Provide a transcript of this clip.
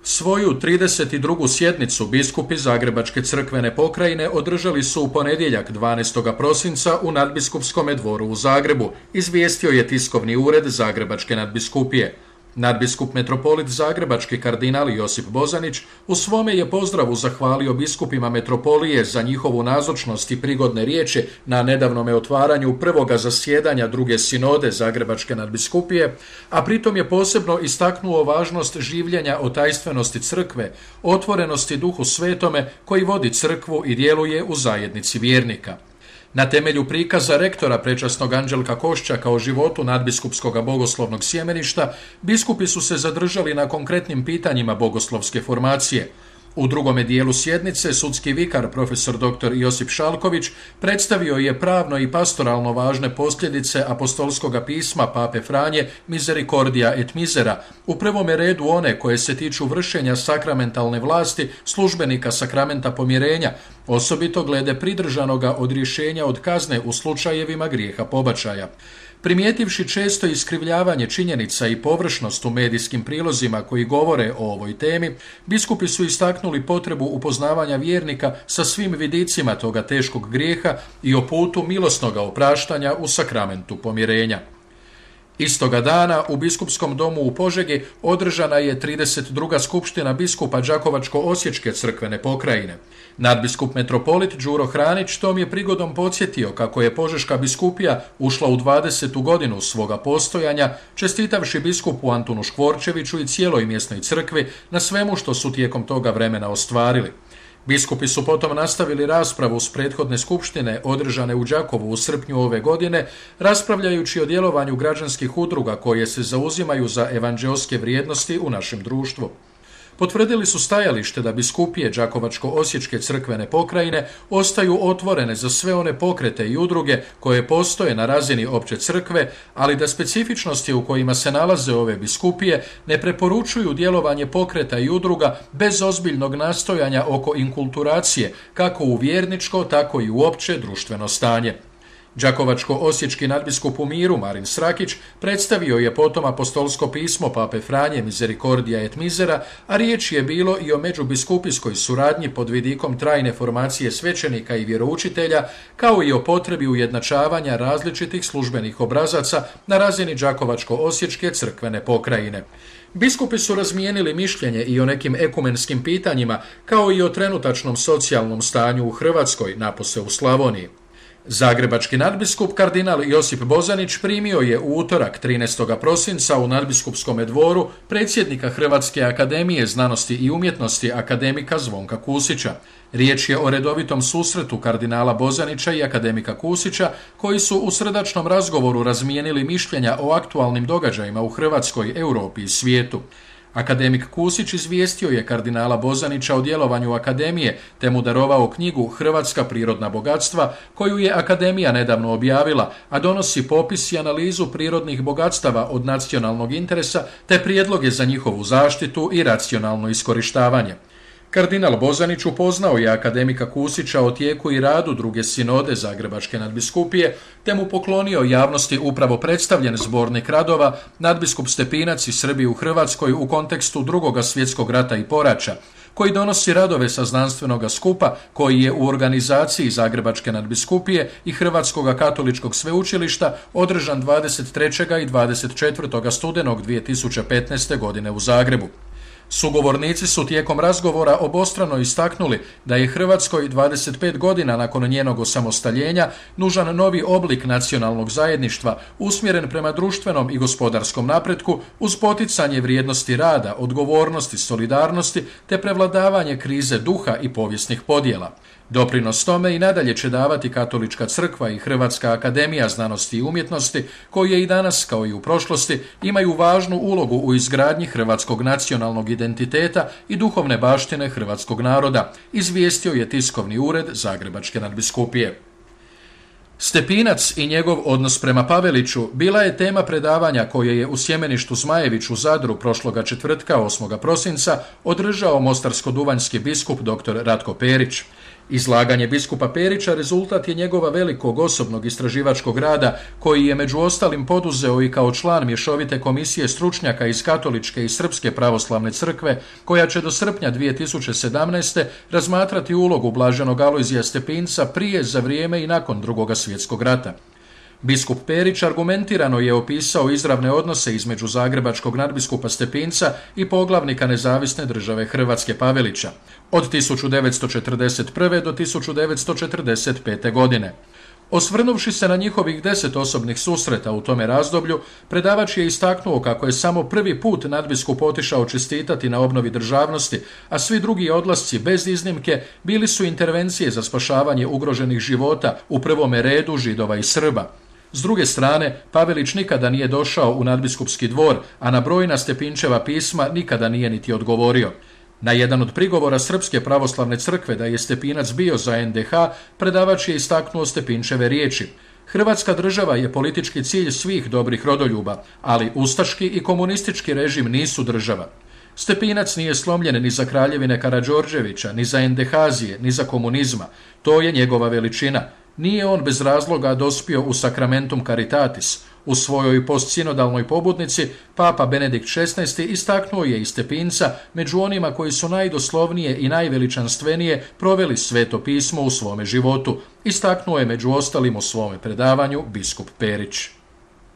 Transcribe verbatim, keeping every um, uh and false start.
Svoju trideset drugu sjednicu biskupi Zagrebačke crkvene pokrajine održali su u ponedjeljak dvanaestog prosinca u Nadbiskupskom dvoru u Zagrebu, izvijestio je tiskovni ured Zagrebačke nadbiskupije. Nadbiskup metropolit Zagrebački kardinal Josip Bozanić u svome je pozdravu zahvalio biskupima metropolije za njihovu nazočnost i prigodne riječi na nedavnome otvaranju prvoga zasjedanja druge sinode Zagrebačke nadbiskupije, a pritom je posebno istaknuo važnost življenja o tajstvenosti crkve, otvorenosti Duhu Svetome koji vodi crkvu i djeluje u zajednici vjernika. Na temelju prikaza rektora prečasnog Anđelka Koščaka o životu nadbiskupskog bogoslovnog sjemeništa, biskupi su se zadržali na konkretnim pitanjima bogoslovske formacije. U drugome dijelu sjednice sudski vikar profesor doktor Josip Šalković predstavio je pravno i pastoralno važne posljedice apostolskog pisma Pape Franje Misericordia et Misera, u prvome redu one koje se tiču vršenja sakramentalne vlasti službenika sakramenta pomirenja, osobito glede pridržanoga odrješenja od kazne u slučajevima grijeha pobačaja. Primijetivši često iskrivljavanje činjenica i površnost u medijskim prilozima koji govore o ovoj temi, biskupi su istaknuli potrebu upoznavanja vjernika sa svim vidicima toga teškog grijeha i o putu milosnoga opraštanja u sakramentu pomirenja. Istoga dana u biskupskom domu u Požegi održana je trideset druga skupština biskupa Đakovačko-osječke crkvene pokrajine. Nadbiskup metropolit Đuro Hranić tom je prigodom podsjetio kako je Požeška biskupija ušla u dvadesetu godinu svoga postojanja, čestitavši biskupu Antunu Škvorčeviću i cijeloj mjesnoj crkvi na svemu što su tijekom toga vremena ostvarili. Biskupi su potom nastavili raspravu s prethodne skupštine održane u Đakovu u srpnju ove godine, raspravljajući o djelovanju građanskih udruga koje se zauzimaju za evanđeoske vrijednosti u našem društvu. Potvrdili su stajalište da biskupije Đakovačko-osječke crkvene pokrajine ostaju otvorene za sve one pokrete i udruge koje postoje na razini opće crkve, ali da specifičnosti u kojima se nalaze ove biskupije ne preporučuju djelovanje pokreta i udruga bez ozbiljnog nastojanja oko inkulturacije, kako u vjerničko, tako i u opće društveno stanje. Đakovačko-osječki nadbiskup u miru Marin Srakić predstavio je potom apostolsko pismo Pape Franje Misericordia et Misera, a riječ je bilo i o međubiskupijskoj suradnji pod vidikom trajne formacije svećenika i vjeroučitelja, kao i o potrebi ujednačavanja različitih službenih obrazaca na razini Đakovačko-osječke crkvene pokrajine. Biskupi su razmijenili mišljenje i o nekim ekumenskim pitanjima, kao i o trenutačnom socijalnom stanju u Hrvatskoj, napose u Slavoniji. Zagrebački nadbiskup kardinal Josip Bozanić primio je u utorak trinaestog prosinca u Nadbiskupskom dvoru predsjednika Hrvatske akademije znanosti i umjetnosti akademika Zvonka Kusića. Riječ je o redovitom susretu kardinala Bozanića i akademika Kusića, koji su u srdačnom razgovoru razmijenili mišljenja o aktualnim događajima u Hrvatskoj, Europi i svijetu. Akademik Kusić izvijestio je kardinala Bozanića o djelovanju akademije, te mu darovao knjigu Hrvatska prirodna bogatstva, koju je akademija nedavno objavila, a donosi popis i analizu prirodnih bogatstava od nacionalnog interesa, te prijedloge za njihovu zaštitu i racionalno iskorištavanje. Kardinal Bozanić upoznao je akademika Kusića o tijeku i radu druge sinode Zagrebačke nadbiskupije, te mu poklonio javnosti upravo predstavljen zbornik radova Nadbiskup Stepinac i Srbi u Hrvatskoj u kontekstu drugoga svjetskog rata i poraća, koji donosi radove sa znanstvenoga skupa koji je u organizaciji Zagrebačke nadbiskupije i Hrvatskog katoličkog sveučilišta održan dvadeset trećeg i dvadeset četvrtog studenog dvije tisuće petnaeste. godine u Zagrebu. Sugovornici su tijekom razgovora obostrano istaknuli da je Hrvatskoj dvadeset pet godina nakon njenog osamostaljenja nužan novi oblik nacionalnog zajedništva usmjeren prema društvenom i gospodarskom napretku uz poticanje vrijednosti rada, odgovornosti, solidarnosti te prevladavanje krize duha i povijesnih podjela. Doprinos tome i nadalje će davati Katolička crkva i Hrvatska akademija znanosti i umjetnosti, koje i danas, kao i u prošlosti, imaju važnu ulogu u izgradnji hrvatskog nacionalnog identiteta i duhovne baštine hrvatskog naroda, izvijestio je tiskovni ured Zagrebačke nadbiskupije. Stepinac i njegov odnos prema Paveliću bila je tema predavanja koje je u sjemeništu Zmajević u Zadru prošloga četvrtka osmog prosinca održao mostarsko-duvanjski biskup dr. Ratko Perić. Izlaganje biskupa Perića rezultat je njegova velikog osobnog istraživačkog rada koji je među ostalim poduzeo i kao član mješovite komisije stručnjaka iz Katoličke i Srpske pravoslavne crkve koja će do srpnja dvije tisuće sedamnaeste. razmatrati ulogu blaženog Alojzija Stepinca prije, za vrijeme i nakon Drugog svjetskog rata. Biskup Perić argumentirano je opisao izravne odnose između zagrebačkog nadbiskupa Stepinca i poglavnika Nezavisne države Hrvatske Pavelića od tisuću devetsto četrdeset prve. do tisuću devetsto četrdeset pete. godine. Osvrnuvši se na njihovih deset osobnih susreta u tome razdoblju, predavač je istaknuo kako je samo prvi put nadbiskup otišao čestitati na obnovi državnosti, a svi drugi odlasci bez iznimke bili su intervencije za spašavanje ugroženih života, u prvome redu Židova i Srba. S druge strane, Pavelić nikada nije došao u nadbiskupski dvor, a na brojna Stepinčeva pisma nikada nije niti odgovorio. Na jedan od prigovora Srpske pravoslavne crkve da je Stepinac bio za en de ha, predavač je istaknuo Stepinčeve riječi. Hrvatska država je politički cilj svih dobrih rodoljuba, ali ustaški i komunistički režim nisu država. Stepinac nije slomljen ni za kraljevine Karađorđevića, ni za Endehazije, ni za komunizma. To je njegova veličina. Nije on bez razloga dospio u Sacramentum Caritatis. U svojoj postsinodalnoj pobudnici Papa Benedikt šesnaesti. istaknuo je i Stepinca među onima koji su najdoslovnije i najveličanstvenije proveli Sveto pismo u svome životu. Istaknuo je među ostalim u svome predavanju biskup Perić.